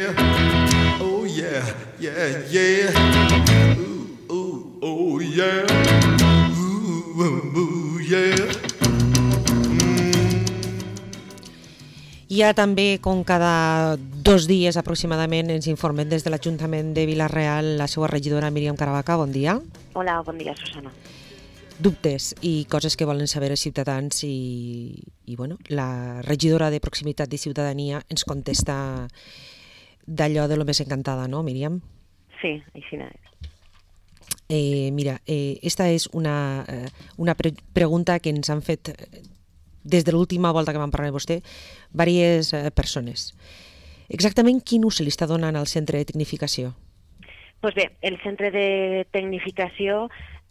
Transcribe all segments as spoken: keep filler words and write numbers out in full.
yeah. Oh yeah, yeah, yeah. Ooh, ooh, oh yeah. Ooh, ooh, ooh, yeah. Hi ha també, com cada dos dies aproximadament, ens informem des de l'Ajuntament de Vila-real la seva regidora Míriam Caravaca. Bon dia. Hola, bon dia, Susana. Dubtes i coses que volen saber els ciutadans i, i bueno, la regidora de Proximitat i Ciutadania ens contesta d'allò de lo més encantada, no, Míriam? Sí, així és. Eh, mira, eh, esta és una, eh, una pre pregunta que ens han fet des de l'última volta que vam parlar amb vostè, diverses eh, persones. Exactament quin ús se li està donant al centre de tecnificació? Pues bé, el centre de tecnificació,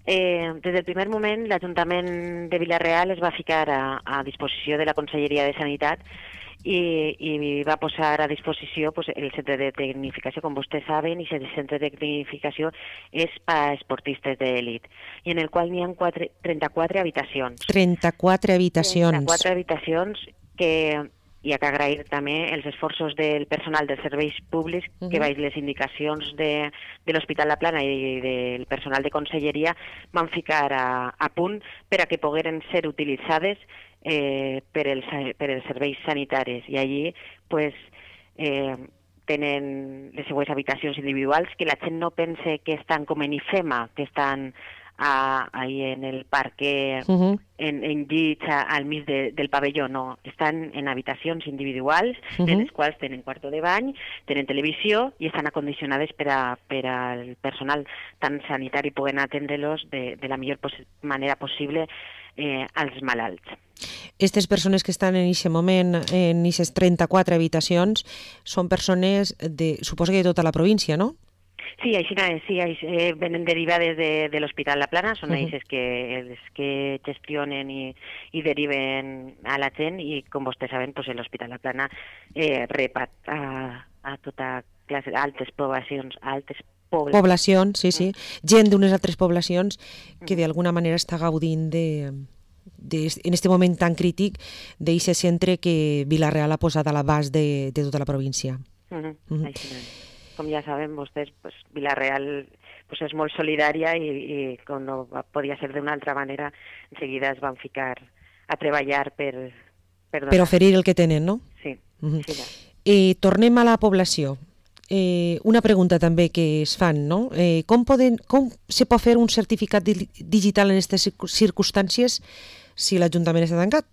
eh, des del primer moment, l'Ajuntament de Vila-real es va ficar a, a disposició de la Conselleria de Sanitat i, i va posar a disposició pues, el centre de tecnificació, com vostès saben, i el centre de tecnificació és per a esportistes d'elit, i en el qual n'hi ha trenta-quatre habitacions. trenta-quatre habitacions. trenta-quatre habitacions que hi ha que agrair també els esforços del personal dels serveis públics uh -huh. que veig les indicacions de, de l'Hospital La Plana i del personal de conselleria van ficar a, a punt per a que pogueren ser utilitzades eh, per, els, per els serveis sanitaris. I allí pues, eh, tenen les seues habitacions individuals, que la gent no pense que estan com en IFEMA, que estan a, ahí en el parque, uh -huh. en, en llits al mig de, del pavelló, no. Estan en habitacions individuals, uh -huh. en les quals tenen quarto de bany, tenen televisió i estan acondicionades per, a, per al personal tant sanitari poden atendre-los de, de la millor pos manera possible eh, als malalts. Aquestes persones que estan en aquest moment en aquestes trenta-quatre habitacions són persones, de, suposo que de tota la província, no? Sí, així és, sí, eh, venen derivades de, de l'Hospital La Plana, són uh -huh. ells que, els que gestionen i, i deriven a la gent, i com vostès saben, pues, l'Hospital La Plana eh, rep a, a, a tota classe, altes poblacions, altes poblacions. Poblacions, sí, sí. Gent d'unes altres poblacions que d'alguna manera està gaudint de... De, en aquest moment tan crític d'aquest centre que Vila-real ha posat a l'abast de, de tota la província. Uh -huh. Uh -huh. Així és. Com ja saben vostès, pues, Vila-real pues, és molt solidària i, i com no podia ser d'una altra manera, enseguida es van ficar a treballar per... Per, per oferir el que tenen, no? Sí. Uh -huh. Sí. Eh, tornem a la població. Eh, una pregunta també que es fan, no? Eh, com, poden, com se pot fer un certificat di digital en aquestes circumstàncies si l'Ajuntament està tancat?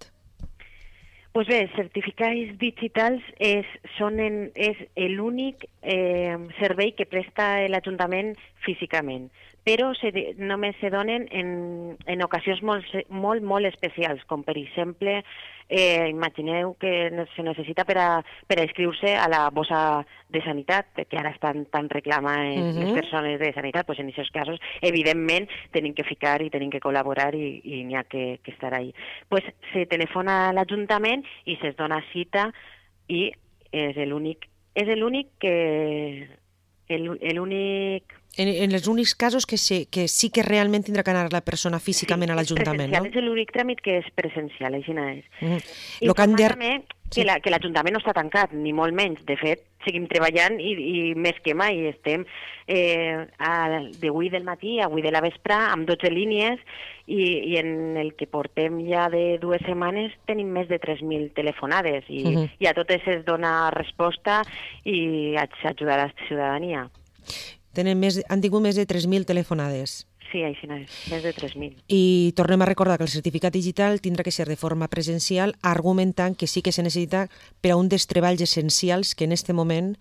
Pues bé, certificats digitals és, són en, és l'únic eh, servei que presta l'Ajuntament físicament, però se, només se donen en, en ocasions molt, molt, molt especials, com per exemple, eh, imagineu que se necessita per a, per a inscriure a la bossa de sanitat, que ara estan tan reclamades uh -huh. les persones de sanitat, pues en aquests casos, evidentment, tenim que ficar i tenim que col·laborar i, i n'hi ha que, que estar ahí. Pues se telefona a l'Ajuntament i se'ls dona cita i és l'únic és l'únic que l'únic En, en els únics casos que, se, que sí que realment tindrà que anar la persona físicament sí, a l'Ajuntament, no? És l'únic tràmit que és presencial, així no és. Mm. Informar de... també que la, que l'Ajuntament no està tancat, ni molt menys. De fet, seguim treballant i, i més que mai estem eh, d'avui del matí a avui de la vespre amb dotze línies i, i en el que portem ja de dues setmanes tenim més de tres mil telefonades i, uh -huh. i a totes es dona resposta i s'ajuda a la ciutadania. Tenen més, han tingut més de tres mil telefonades. Sí, així no és, més de tres mil. I tornem a recordar que el certificat digital tindrà que ser de forma presencial, argumentant que sí que se necessita per a un dels treballs essencials que en aquest moment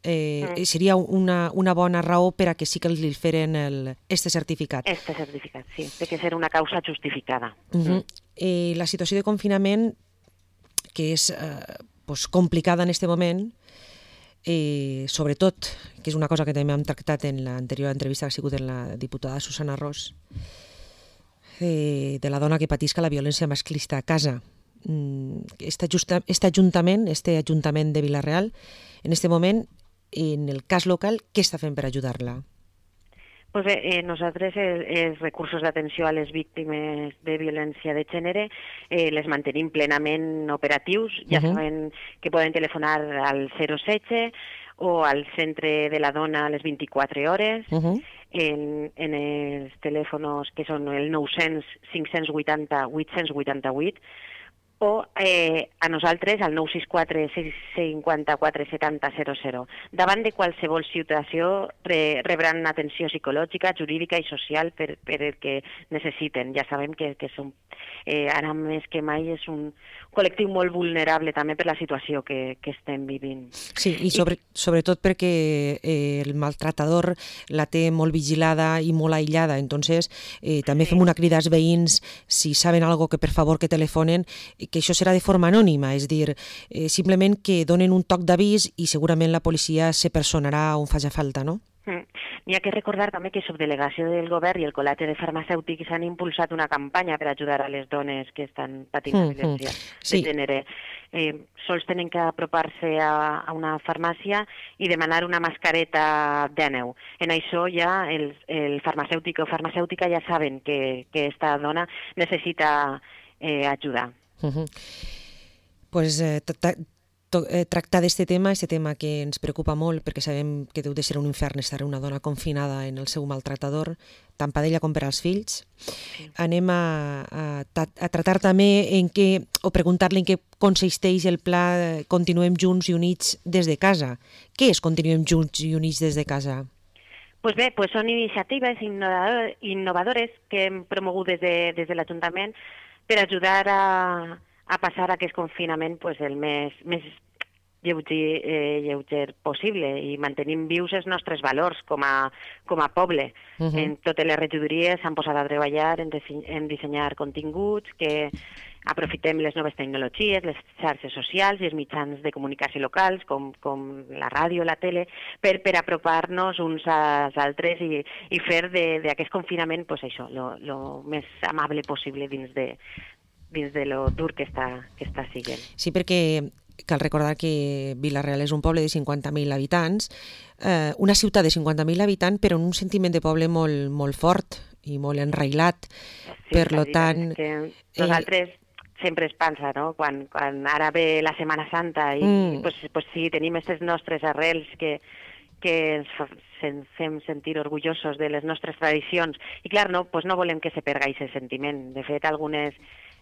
eh, mm. seria una, una bona raó per a que sí que li feren el, este certificat. Este certificat, sí. Té que ser una causa justificada. Uh -huh. mm. eh, la situació de confinament, que és eh, pues, complicada en aquest moment, Eh, sobretot, que és una cosa que també hem tractat en l'anterior entrevista que ha sigut en la diputada Susana Ros, eh, de la dona que patisca la violència masclista a casa. Este, justa, este ajuntament, este ajuntament de Vila-real, en aquest moment, en el cas local, què està fent per ajudar-la? Pues bé, eh, nosaltres els, els recursos d'atenció a les víctimes de violència de gènere eh, les mantenim plenament operatius. Ja uh -huh. saben que poden telefonar al zero setze o al centre de la dona a les vint-i-quatre hores. Uh -huh. en, en els telèfons que són el nou-cents cinc-cents vuitanta vuit-cents vuitanta-vuit o eh, a nosaltres al nou sis quatre sis cinquanta-quatre setanta zero zero. Davant de qualsevol situació re, rebran atenció psicològica, jurídica i social per, per el que necessiten. Ja sabem que, que som, eh, ara més que mai és un col·lectiu molt vulnerable també per la situació que, que estem vivint. Sí, i sobre, sobretot perquè eh, el maltratador la té molt vigilada i molt aïllada, entonces eh, també sí. Fem una crida als veïns, si saben algo que per favor que telefonen, que això serà de forma anònima, és dir, eh, simplement que donen un toc d'avís i segurament la policia se personarà on faci falta, no? Mm. N'hi ha que recordar també que Subdelegació del Govern i el Col·legi de Farmacèutics han impulsat una campanya per ajudar a les dones que estan patint mm, violència mm. Sí. de gènere. Eh, sols tenen que apropar-se a, a una farmàcia i demanar una mascareta d'Èneu. En això ja el, el farmacèutic o farmacèutica ja saben que, que esta dona necessita eh, ajuda. Uh-huh. Pues eh, tractar d'aquest tema, aquest tema que ens preocupa molt perquè sabem que deu de ser un infern estar una dona confinada en el seu maltratador, tant per ella com per als fills. Sí. Anem a, a, a tratar també en què, o preguntar-li en què consisteix el pla Continuem Junts i Units des de casa. Què és Continuem Junts i Units des de casa? Pues bé, pues són iniciatives innovadores que hem promogut des de, des de l'Ajuntament per ajudar a, a passar aquest confinament pues, el més, més lleuger, eh, lleuger possible i mantenim vius els nostres valors com a, com a poble. Uh-huh. En totes les regidories s'han posat a treballar en, dise- en dissenyar continguts que aprofitem les noves tecnologies, les xarxes socials i els mitjans de comunicació locals, com, com la ràdio, la tele, per, per apropar-nos uns als altres i, i fer d'aquest confinament pues, això, lo, lo més amable possible dins de, dins de lo dur que està, que està siguent. Sí, perquè cal recordar que Vila-real és un poble de cinquanta mil habitants, eh, una ciutat de cinquanta mil habitants, però amb un sentiment de poble molt, molt fort i molt enrailat. Sí, per lo tant... Que nosaltres eh... sempre es pensa, no?, quan, quan ara ve la Setmana Santa i mm. pues, pues sí, tenim aquestes nostres arrels que, que ens fem sentir orgullosos de les nostres tradicions. I clar, no, pues no volem que se perga aquest sentiment. De fet, algunes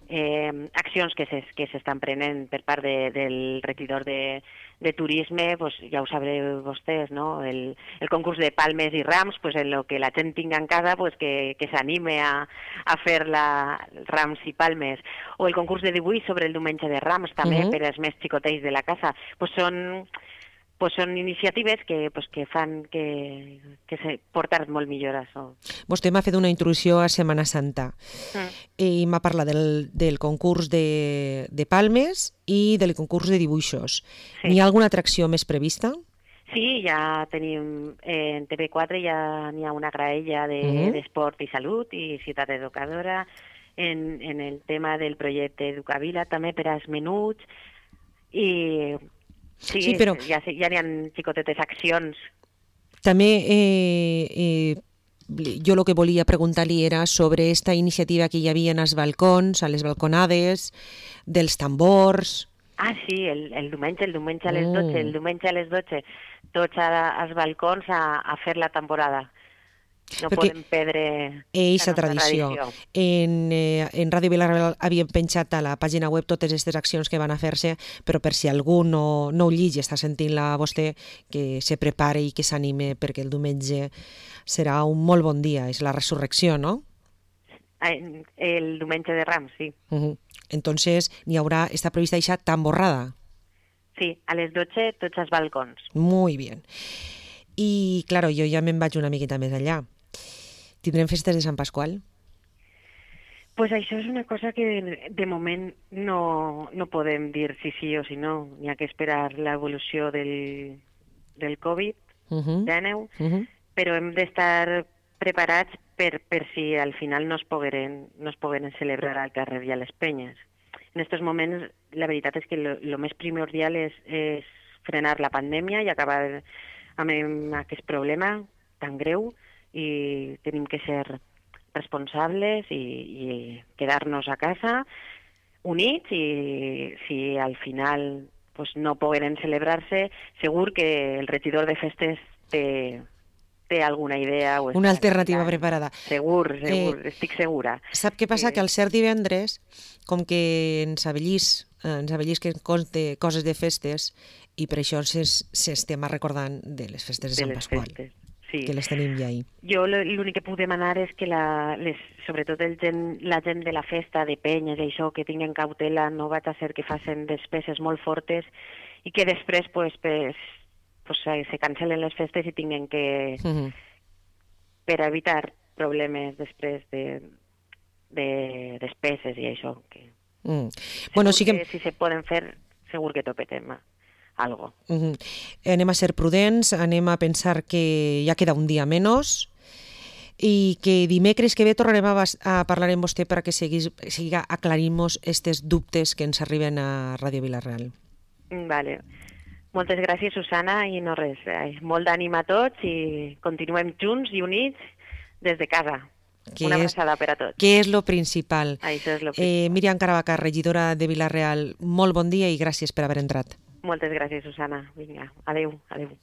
eh, accions que s'estan que prenent per part de, del regidor de, de turisme, pues ja ho sabreu vostès, no? El, el concurs de palmes i rams, pues en lo que la gent tinga en casa, pues que, que s'anime a, a fer la, rams i palmes. O el concurs de dibuix sobre el diumenge de Rams, també, uh-huh. per als més xicotells de la casa. Pues són... pues són iniciatives que, pues, que fan que, que se portar molt millor això. Vostè m'ha fet una introducció a Setmana Santa mm. i m'ha parlat del, del concurs de, de palmes i del concurs de dibuixos. Sí. N'hi ha alguna atracció més prevista? Sí, ja tenim, eh, en T V quatre ja n'hi ha una graella d'esport de, mm-hmm. i salut i ciutat educadora, en, en el tema del projecte Educavila també per als menuts i... Sí, sí, però ja, ja n'hi ha xicotetes accions. També eh, eh, jo el que volia preguntar-li era sobre esta iniciativa que hi havia als balcons, a les balconades, dels tambors... Ah, sí, el, el diumenge, el diumenge a les dotze, mm. el diumenge a les dotze, tots a, als balcons a, a fer la temporada. No perquè podem perdre eixa tradició. tradició. En, eh, en Ràdio Vila-real havíem penjat a la pàgina web totes aquestes accions que van a fer-se, però per si algú no, no ho llig i està sentint-la a vostè, que se prepare i que s'anime, perquè el diumenge serà un molt bon dia, és la resurrecció, no? El diumenge de Rams, sí. Uh-huh. Entonces, n'hi haurà, està prevista eixa tamborrada? Sí, a les dotze tots els balcons. Muy bien. I, claro, jo ja me'n vaig una miqueta més allà. Tindrem festes de Sant Pasqual? Pues això és una cosa que de moment no, no podem dir si sí o si no. N'hi ha que esperar l'evolució del, del Covid uh-huh. dinou, uh-huh. però hem d'estar preparats per, per si al final no es pogueren, no es pogueren celebrar al carrer i a les penyes. En aquests moments la veritat és que el més primordial és, és frenar la pandèmia i acabar amb aquest problema tan greu i tenim que ser responsables i, i quedar-nos a casa units, i si al final pues, no poden celebrar-se, segur que el regidor de festes té, té alguna idea. O Una està alternativa mirant. preparada. Segur, segur, Eh, estic segura. Sap què passa? Eh, Que al ser divendres, com que ens avellís, eh, ens avellís que conte coses de festes, i per això s'es- s'estem recordant de les festes de, de Sant les Pasqual, festes. Sí. que les tenim ja ahir. Jo l- l'únic que puc demanar és que la, les, sobretot el gent, la gent de la festa, de penyes i això, que tinguen cautela, no vaig a ser que facin despeses molt fortes i que després pues, pues, pues, se se cancelen les festes i tinguen que, Mhm. per evitar problemes després de, de despeses i això. Que Mm. Bueno, sí que... que si se poden fer, segur que topetem algo. Mhm. Anem a ser prudents, anem a pensar que ja queda un dia menys i que dimecres que ve tornarem a, bas- a parlar amb vostè perquè seguís, siga aclarim-nos estes dubtes que ens arriben a Ràdio Vila-real. Mm, Vale. Moltes gràcies, Susana, i no res, eh, molt d'ànim a tots i continuem junts i units des de casa. Que Una és, abraçada per a tots. que és lo principal. Això és lo Eh, principal. Míriam Caravaca, regidora de Vila-real, molt bon dia i gràcies per haver entrat. Moltes gràcies, Susana. Vinga, adeu, adeu.